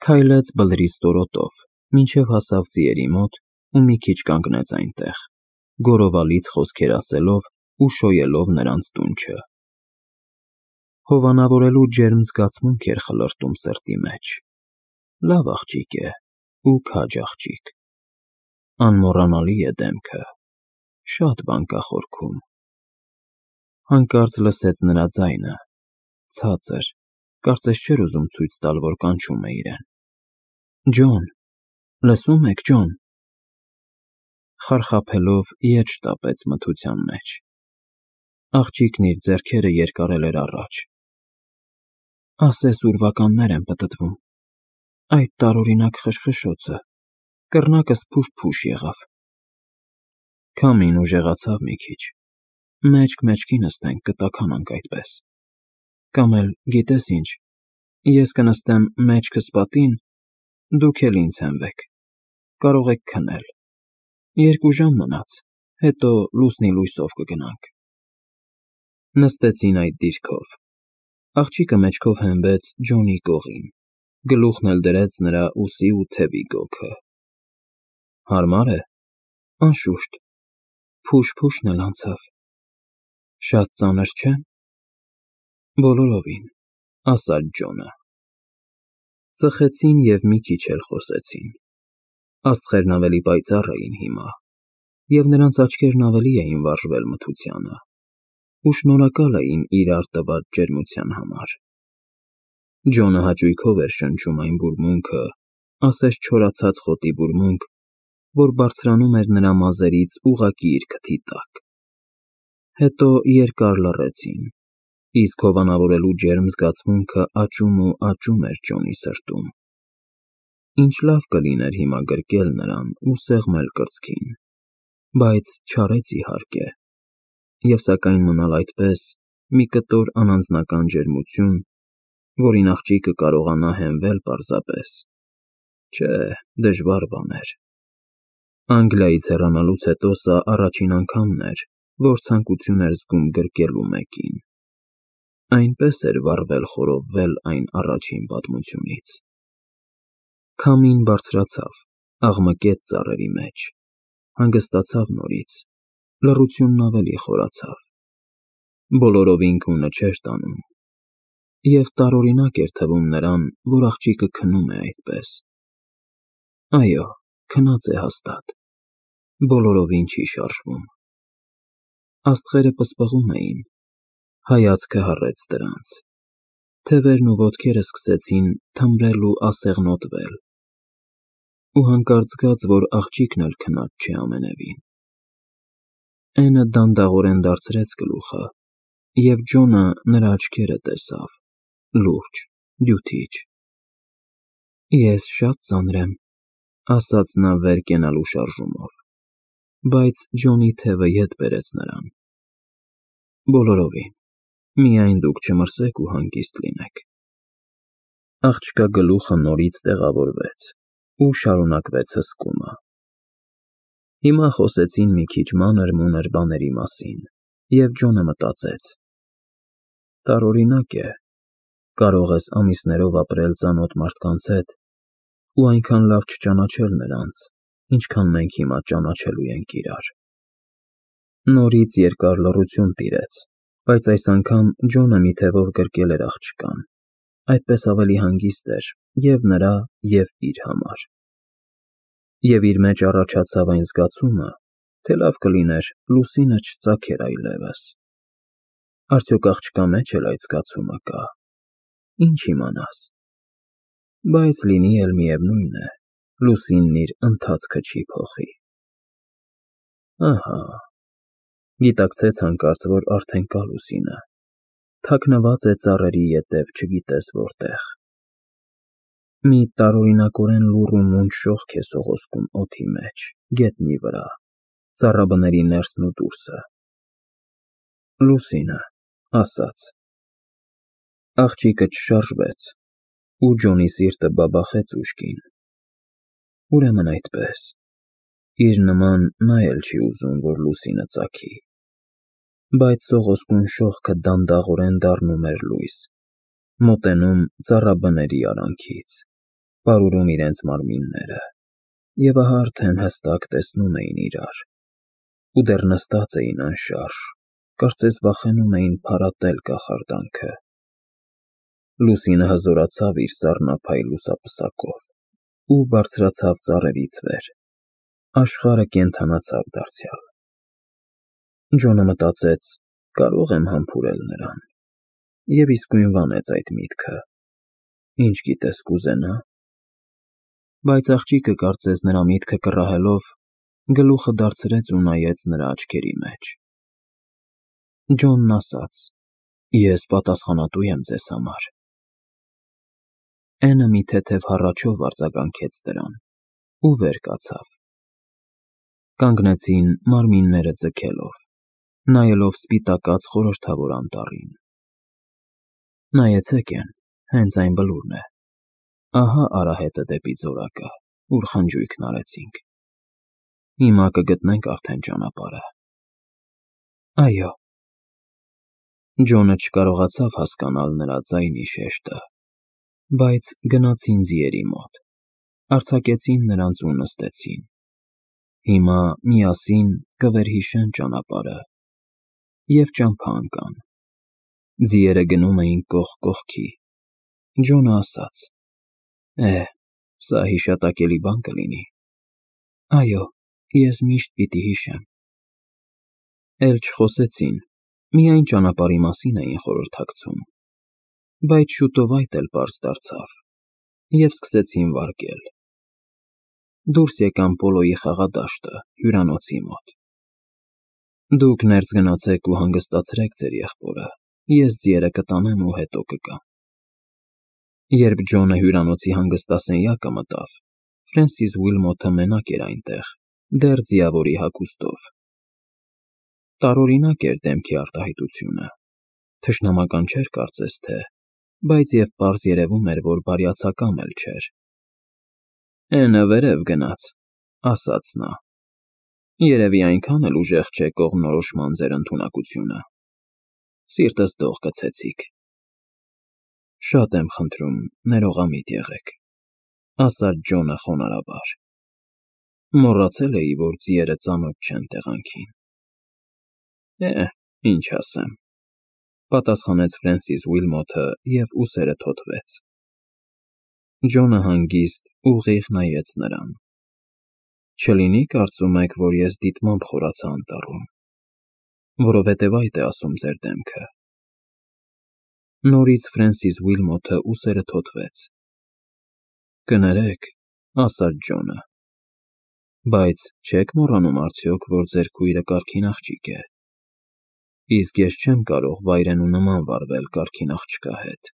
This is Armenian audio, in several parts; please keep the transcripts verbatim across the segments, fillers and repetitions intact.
Քայլեց բլրի ստորոտով, մինչև հասավ ձիերի մոտ ու մի քիչ կանգնեց այնտեղ, գորովալից խոսքեր ասելով ու շոյելով նրանց դունչը։ Հովանավորելու ջերմ զգացմունք էր խլրտում սրտի մեջ։ Լավ աղջիկ է ու քաջ աղջիկ։ Անմոռանալի է դեմքը, շատ բան կա խորքում։ Հանկարծ լսեց նրա ձայնը, ցածր, կարծես չէր ուզում ցույց տալ, որ կանչում է իրեն։ Ջոն, լսո՞ւմ եք, Ջոն։ Խարխափելով ետ շտապեց մթության մեջ։ Աղջիկն իր ձեռքերը երկարել էր առաջ։ Ասես ուրվականներ են պտտվում։ Այդ տարօրինակ խշխշոցը, կռնակս փուշ-փուշ եղավ։ Քամին ուժեղացավ մի քիչ։ Մեջք մեջքի նստենք, կտաքանանք այդպես։ Կամ էլ, գիտես ինչ, ես կնստեմ մեջքս պատին, դուք էլ ինձ հենվեք, կարող եք քնել։ Երկու ժամ մնաց, հետո լուսնի լույսով կգնանք։ Նստեցին այդ դիրքով։ Աղջիկը մեջքով հենվեց Ջոնի կողին, գլուխն էլ դրեց նրա ուսի ու թևի գոգը։ Հարմա՞ր է։ Անշուշտ, փուշ֊փուշն էլ անցավ։ Շատ ծանր չէ։ Բոլորովին, ասաց Ջոնը։ Ծխեցին և մի քիչ էլ խոսեցին։ Աստղերն ավելի պայծառ էին հիմա, և նրանց աչքերն ավելի էին վարժվել մթությանը ու շնորհակալ էին իրար տված ջերմության համար։ Ջոնը հաճույքով էր շնչում այն բուրմունքը, ասես չորացած խոտի բուրմունք, որ բարձրանում էր նրա մազերից ուղղակի իր քթի տակ։ Հետո երկար լռեցին, իսկ հովանավորելու ջերմ զգացմունքը աճում ու աճում էր Ջոնի սրտում։ Ինչ լավ կլիներ հիմա գրկել նրան ու սեղմել կրծքին, բայց չարեց իհարկե, և սակայն մնալ այդպես, մի կտոր անանձնական ջերմություն, որին աղջիկը կարողանա հենվել պարզապես։ Չէ, դժվար բան էր։ Անգլիայից հեռանալուց հետո սա առաջին անգամն էր, որ ցանկություն էր զգում գրկելու մեկին։ Այնպես էր վառվել֊խորովվել այն առաջին պատմությունից։ Քամին բարձրացավ, աղմկեց ծառերի մեջ, հանգստացավ նորից, լռությունն ավելի խորացավ։ Բոլորովին քունը չէր տանում։ Եվ տարօրինակ էր թվում նրան, որ աղջիկը քնում է այդպես։ Այո, քնած է հաստատ, բոլորովին չի շարժվում։ Աստղերը պսպղում էին, հայացքը հառեց դրանց։ Թևերն ու ոտքերը սկսեցին թմրել ու ասեղնոտվել։ Ու հանկարծ զգաց, որ աղջիկն էլ քնած չէ ամենևին։ Էնը դանդաղորեն դարձրեց գլուխը, և Ջոնը նրա աչքերը տեսավ, լուրջ, դյութիչ։ Ես շատ ծանր եմ, ասաց նա վեր կենալու շարժումով, բայց Ջոնի թևը ետ բերեց նրան։ Բոլորովին, միայն դուք չմրսեք ու հանգիստ լինեք։ Աղջկա գլուխը նորից տեղավորվեց ու շարունակվեց հսկումը։ Հիմա խոսեցին մի քիչ մանր-մունր բաների մասին, և Ջոնը մտածեց. տարօրինակ է, կարող ես ամիսներով ապրել ծանոթ մարդկանց հետ ու այնքան լավ չճանաչել նրանց, ինչքան մենք հիմա ճանաչելու ենք իրար։ Նորից երկար լռություն տիրեց, բայց այս անգամ Ջոնը մի թևով գրկել էր աղջկան, այդպես ավելի հանգիստ էր և նրա, և իր համար։ Եվ իր մեջ առաջացավ այն զգացումը, թե լավ կլիներ լուսինը չծագեր այլևս։ Արդյոք աղջկա մեջ էլ այդ զգացումը կա։ Ինչ իմանաս։ Բայց լինի էլ միևնույն է, լուսինն իր ընթացքը չի փոխի։ Ահա, գիտակցեց հանկարծ, որ արդեն կա լուսինը, թաքնված է ծառերի ետև չգիտես որտեղ։ Մի տարօրինակորեն լուռ ու մունջ շողք է սողոսկում օդի մեջ, գետնի վրա, ծառաբների ներսն ու դուրսը։ Լուսինը, ասաց։ Աղջիկը չշարժվեց, ու Ջոնի սիրտը բաբախեց ուժգին։ Ուրեմն այդպես, իր նման նա էլ չի ուզում, որ լուսինը ծագի։ Բայց սողոսկուն շողքը դանդաղորեն դառնում էր լույս, մոտենում ծառաբների արանքից, պարուրում իրենց մարմինները, և ահա արդեն հստակ տեսնում էին իրար, ու դեռ նստած էին անշարժ, կարծես վախենում էին փարատել կախարդանքը։ Լուսինը հզորացավ իր սառնափայլ լուսապսակով ու բարձրացավ ծառերից վեր, աշխարհը կենդանացավ դարձյալ։ Ջոնը մտածեց. կարող եմ համբուրել նրան, և իսկույն վանեց այդ միտքը։ Ինչ գիտես կուզենա։ Բայց աղջիկը, կարծես նրա միտքը կռահելով, գլուխը դարձրեց ու նայեց նրա աչքերի մեջ։ Ջոնն ասաց. Ես պատասխանատու եմ ձեզ համար։ Էնը մի թեթև հառաչով արձագանքեց դրան ու վեր կացավ։ Կանգնեցին մարմինները ձգելով, նայելով սպիտակած խորհրդավոր անտառին։ Նայեցեք էն, հենց այն բլուրն է։ Ահա արահետը դեպի ձորակը, ուր խնջույքն արեցինք։ Հիմա կգտնենք արդեն ճանապարհը։ Այո։ Ջոնը չկարողացավ հասկանալ նրա ձայնի շեշտը, բայց գնացին ձիերի մոտ, արձակեցին նրանց ու նստեցին։ Հիմա միասին կվերհիշեն ճանապարհը և ճամփա ընկան։ Ձիերը գնում էին կողք կողքի։ Ջոնը ասաց. Է, սա հիշատակելի բան կլինի։ Այո, ես միշտ պիտի հիշեմ։ Էլ չխոսեցին, միայն ճանապարհի մասին էին խորհրդակցում։ Բայց շուտով այդ էլ պարզ դարձավ, և սկսեցին վարկել։ Դուրս եկան պոլոյի խաղադաշտը, հյուրանոցի մոտ։ Դուք ներս գնացեք ու հանգստացրեք ձեր եղբորը, ես ձիերը կտանեմ ու հետո կգամ։ Երբ Ջոնը հյուրանոցի հանգստասենյակը մտավ, Ֆրենսիս Ուիլմոթը մենակ էր այնտեղ, դեռ ձիավորի հագուստով։ Տարօրինակ էր դեմքի արտահայտությունը, թշնամական չէր կարծես թե, բայց և պարզ երևում էր, որ բարյացակամ էլ չէր։ Էնը վերև գնաց, ասաց նա։ Երևի այնքան էլ ուժեղ չէ կողմնորոշման ձեր ընդունակությունը։ Սիրտս դող գցեցիք։ Շատ եմ խնդրում, ներողամիտ եղեք, ասաց Ջոնը խոնարհաբար։ Մոռացել էի, որ ձիերը ծանոթ չեն տեղանքին։ Է, ինչ ասեմ, պատասխանեց Ֆրենսիս Ուիլմոթը և ուսերը թոթվեց։ Ջոնը հանգիստ, ուղիղ նայեց նրան։ Չլինի՞ կարծում եք, որ ես դիտմամբ խորացա անտառում, որովհետև այդ է ասում ձեր դեմքը։ Նորից Ֆրենսիս Ուիլմոթը ուսերը թոթվեց։ Կներեք, ասաց Ջոնը, բայց չեք մոռանում արդյոք, որ ձեր քույրը կարգին աղջիկ է։ Իսկ ես չեմ կարող վայրենու նման վարվել կարգին աղջկա հետ։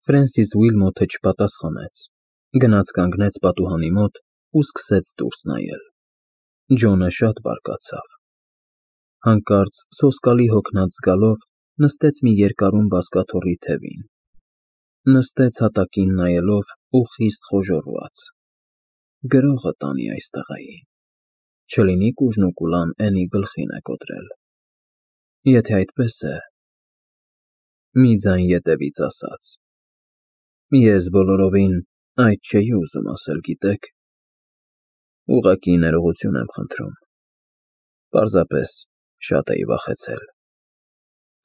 Ֆրենսիս Ուիլմոթը չպատասխանեց, գնաց կանգնեց պատուհանի մոտ ու սկսեց դուրս նայել։ Ջոնը շատ բարկացավ։ Հանկարծ սոսկալի հոգնած զգալով նստեց մի երկարում բազկաթոռի թևին։ Նստեց հատակին նայելով ու խիստ խոժոռված։ Գրողը տանի այս տղային, չլինի կուժն ու կուլան էնի գլխին է կոտրել։ Եթե այդպես է… Մի ձայն ետևից ասաց. Ես բոլորովին այդ չէի ուզում ասել, գիտեք։ Ուղղակի ներողություն եմ խնդրում։ Պարզապես շատ էի վախեցել։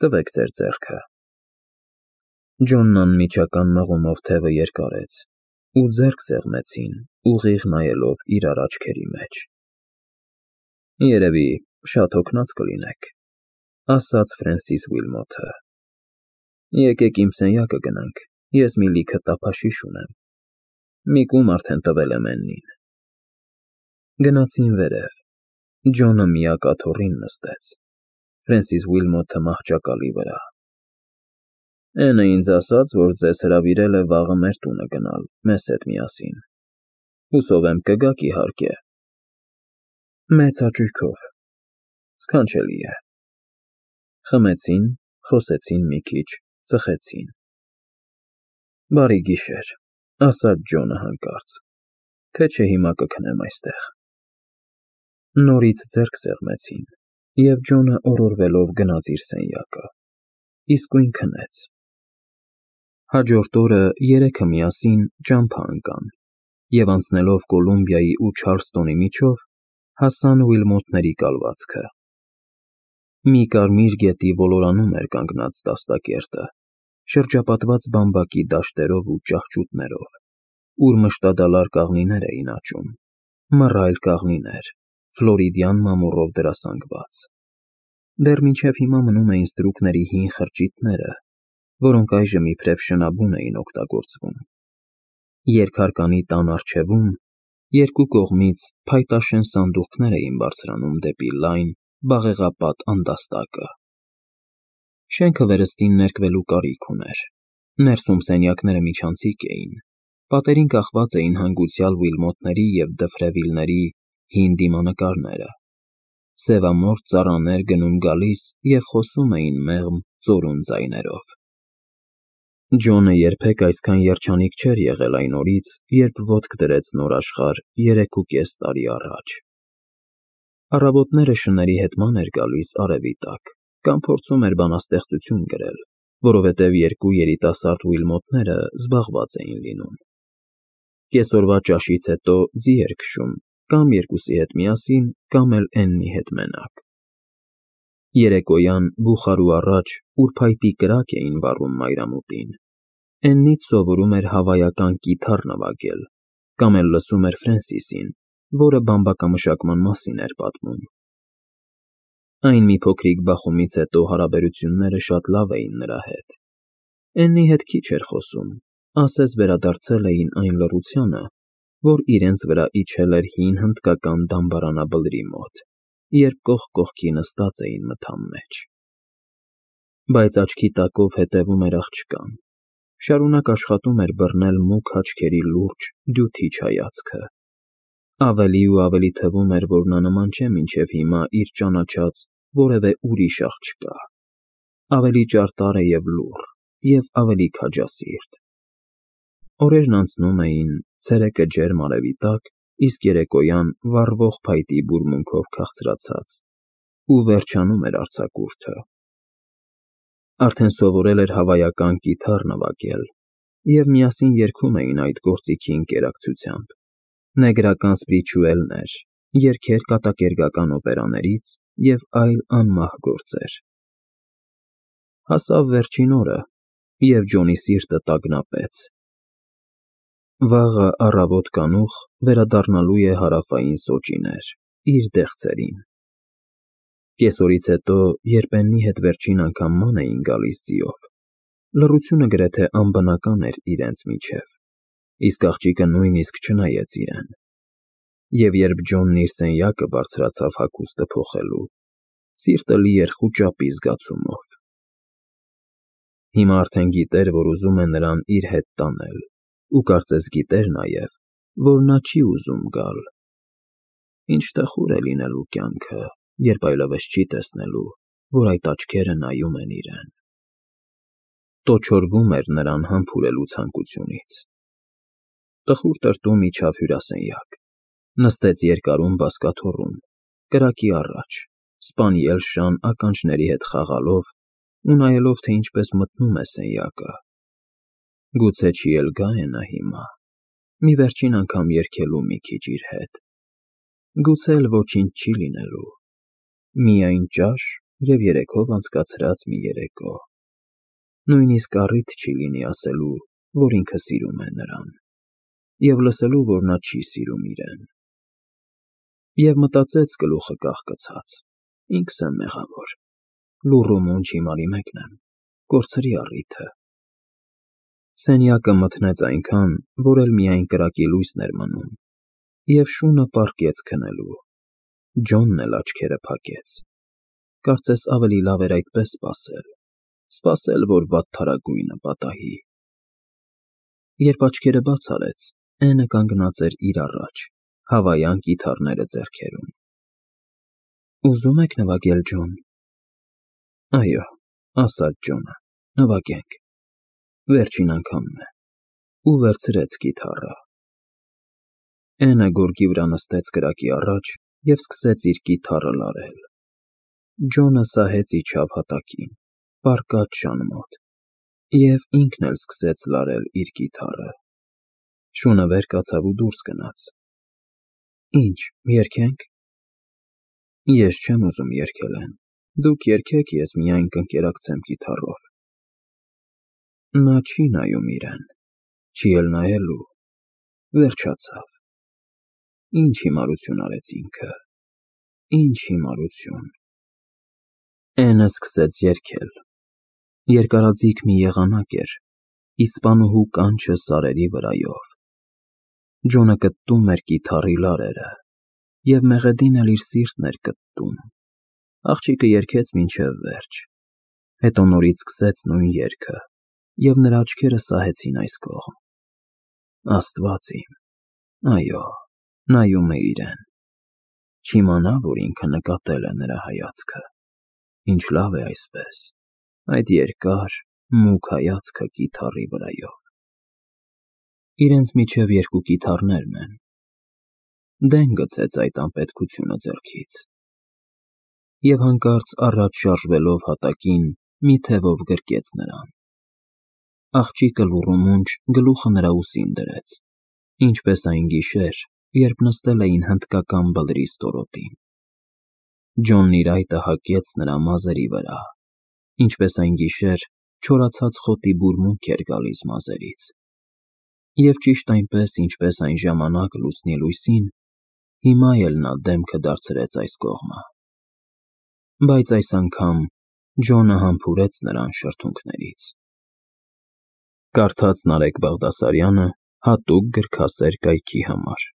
Տվեք ձեր ձեռքը։ Ջոնն անմիջական մղումով թևը երկարեց ու ձեռք սեղմեցին, ուղիղ նայելով իրար աչքերի մեջ։ Երևի շատ հոգնած կլինեք, ասաց Ֆրենսիս Ուիլմոթը։ Եկեք իմ սենյակը գնանք, ես մի լիքը տափաշիշ ունեմ։ Մի կում արդեն տվել եմ Էննին։ Գնացին վերև։ Ջոնը միակ աթոռին նստեց, Ֆրենսիս Ուիլմոթը մահճակալի վրա։ Էնը ինձ ասաց, որ ձեզ հրավիրել է վաղը մեր տունը գնալ, մեզ հետ միասին։ Հուսով եմ կգաք, իհարկե։ Մեծ հաճույքով։ Սքանչելի է։ Խմեցին, խոսեցին մի քիչ, ծխեցին։ Բարի գիշեր, ասաց Ջոնը հանկարծ, թե չէ հիմա կքնեմ այստեղ։ Նորից ձեռք սեղմեցին, և Ջոնը օրորվելով գնաց իր սենյակը, իսկույն քնեց։ Հաջորդ օրը երեքը միասին ճամփա ընկան և անցնելով Կոլումբիայի ու Չարլստոնի միջով հասան Ուիլմոթների կալվածքը։ Մի կարմիր գետի ոլորանում էր կանգնած դաստակերտը, շրջապատված բամբակի դաշտերով ու ճահճուտներով, ուր մշտադալար կաղնիներ էին աճում, մռայլ կաղնիներ, ֆլորիդյան մամուռով դրասանգված։ Դեռ մինչև հիմա մնում էին ստրուկների հին խրճիթները, որոնք այժմ իբրև շնաբուն էին օգտագործվում։ Երկհարկանի տան առջևում երկու կողմից փայտաշեն սանդուղքներ էին բարձրանում դեպի լայն, բաղեղապատ անդաստակը։ Շենքը վերստին ներկվելու կարիք ուներ։ Ներսում սենյակները միջանցիկ էին, պատերին կախված էին հանգուցյալ Ուիլմոթների և Դֆրևիլների հին դիմանկարները։ Սևամորթ ծառաներ գնում֊գալիս և խոսում էին մեղմ ծորուն ձայներով։ Ջոնը երբեք այսքան երջանիկ չէր եղել այն օրից, երբ ոտք դրեց նոր աշխարհ երեքուկես տարի առաջ։ Առավոտները շների հետման էր գալիս արևի տակ կամ փորձում էր բանաստեղծություն գրել, որովհետև երկու երիտասարդ Ուիլմոթները զբաղված էին լինում։ Կեսօրվա ճաշից հետո ձի էր քշում կամ երկուսի հետ միասին, կամ էլ Էննի հետ մենակ։ Երեկոյան, բուխարու առաջ, ուր փայտի կրակ էին վառում մայրամուտին, Էննից սովորում էր հավայական կիթառ նվագել, կամ էլ լսում էր Ֆրենսիսին, որը բամբակամշակման մասին էր պատմում։ Այն մի փոքրիկ բախումից հետո հարաբերությունները շատ լավ էին նրա հետ։ Էննի հետ քիչ էր խոսում, ասես վերադարձել էին այն լռությանը, որ իրենց վրա իջել էր հին հնդկական դամբարանաբլրի մոտ, երբ կողք կողքի նստած էին մթան մեջ։ Բայց աչքի տակով հետևում էր աղջկան, շարունակ աշխատում էր բռնել մուգ աչքերի լուրջ, դյութիչ հայացքը։ Ավելի ու ավելի թվում էր, որ նա նման չէ մինչև հիմա իր ճանաչած որևէ ուրիշ աղջկա, ավելի ճարտար է և լուռ, և ավելի քաջասիրտ։ Օրերն անցնում էին, ցերեկը ջերմ արևի տակ, իսկ երեկոյան վառվող փայտի բուրմունքով քաղցրացած, ու վերջանում էր արձակուրդը։ Արդեն սովորել էր հավայական կիթառ նվագել, և միասին երգում էին այդ գործիքի ընկերակցությամբ, նեգրական սպրիչուելներ, երգեր կատակերգական օպերաներից և այլ անմահ գործեր։ Հասավ վերջին օրը, և Ջոնի սիրտը տագնապեց։ Վաղը առավոտ կանուխ վերադառնալու է Հարավային Սոճիներ, իր դեղցերին։ Կեսօրից հետո, երբ Էննի հետ վերջին անգամ ման էին գալիս ձիով, լռությունը գրեթե անբնական էր իրենց միջև, իսկ աղջիկը նույնիսկ չնայեց իրեն։ Եվ երբ Ջոնն իր սենյակը բարձրացավ հագուստը փոխելու, սիրտը լի էր խուճապի զգացումով։ Հիմա արդեն գիտեր, որ ուզում է նրան իր հետ տանել, ու կարծես գիտեր նաև, որ նա չի ուզում գալ։ Ինչ տխուր է լինելու կյանքը, երբ այլևս չի տեսնելու, որ այդ աչքերը նայում են իրեն։ Տոչորվում էր նրան համբուրելու ցանկությունից։ Տխուր տրտում իջավ հյուրասենյակ, նստեց երկարուն բազկաթոռում, կրակի առաջ, սպանյել շան ականջների հետ խաղալով ու նայելով, թե ինչպես մթնում է սենյակը։ Գուցե չի էլ գա է նա հիմա, մի վերջին անգամ երգելու մի քիչ իր հետ։ Գուցե էլ ոչինչ չի լինելու, միայն ճաշ և երեքով անցկացրած մի երեկո։ Նույնիսկ առիթ չի լինի ասելու, որ ինքը սիրում է նրան, և լսելու, որ նա չի սիրում իրեն։ Եվ մտածեց գլուխը կախկցած. ինքս եմ մեղավոր, լուռ ու մունջ հիմարի մեկն եմ, կորցրի առիթը։ Սենյակը մթնեց այնքան, որ էլ միայն կրակի լույսն էր մնում, և շունը պառկեց քնելու։ Ջոնն էլ աչքերը փակեց։ Կարծես ավելի լավ էր այդպես սպասել, սպասել, որ վատթարագույնը պատահի։ Երբ աչքերը բաց արեց, Էնը կանգնած էր իր առաջ, հավայան կիթառները ձեռքերում։ Ուզո՞ւմ եք նվագել, Ջոն։ Այո, ասաց Ջոնը, նվագենք, վերջին անգամն է, ու վերցրեց կիթառը։ Էնը գորգի վրա նստեց կրակի առաջ և սկսեց իր կիթառը լարել։ Ջոնը սահեց իջավ հատակին, պառկած շան մոտ, Եվ ինքն էլ սկսեց լարել իր կիթառը։ Շունը վեր կացավ ու դուրս գնաց։ Ինչ, երգե՞նք։ Ես չեմ ուզում երգել, դուք երգեք, ես միայն կընկերակցեմ կիթառով։ Նա չի նայում իրեն, չի էլ նայելու, վերջացավ։ Ինչ հիմարություն արեց ինքը, ինչ հիմարություն։ Էնը սկսեց երգել։ Երկարաձիգ մի եղանակ էր, իսպանուհու կանչը սարերի վրայով։ Ջոնը կտտում էր կիթառի լարերը, և Մեղեդին էլ իր սիրտն էր կտտում։ Աղջիկը երգեց մինչև վերջ, հետո նորից սկսեց նույն երգը, և նրա աչքերը սահեցին այս կողմ։ Աստված իմ, այո, նայում է իրեն։ Չիմանա, որ ինքը նկատել է նրա հայացքը։ Ինչ լավ է այսպես, այդ երկար, մուգ հայացքը կիթառի վրայով։ Իրենց միջև երկու կիթառներն են։ Դեն գցեց այդ անպետքությունը ձեռքից։ Եվ հանկարծ առաջ շարժվելով հատակին մի թևով գրկեց նրան։ Աղջիկը լուռումունջ գլուխը նրա ուսին դրեց, ինչպես այն գիշեր, երբ նստել էին հնդկական բլրի ստորոտին։ Ջոնն իր այտը հագեց նրա մազերի վրա, ինչպես այն գիշեր չորացած խոտի բուրմունք էր գալիս մազերից։ Եվ ճիշտ այնպես, ինչպես այն ժամանակ լուսնի լույսին, հիմա էլ նա դեմքը դարձրեց այս կողմը։ Բայց այս անգամ Ջոնը համբուրեց նրան շրթունքներից։ Կարդաց Նարեկ Բաղդասարյանը հատուկ գրքասեր կայքի համար։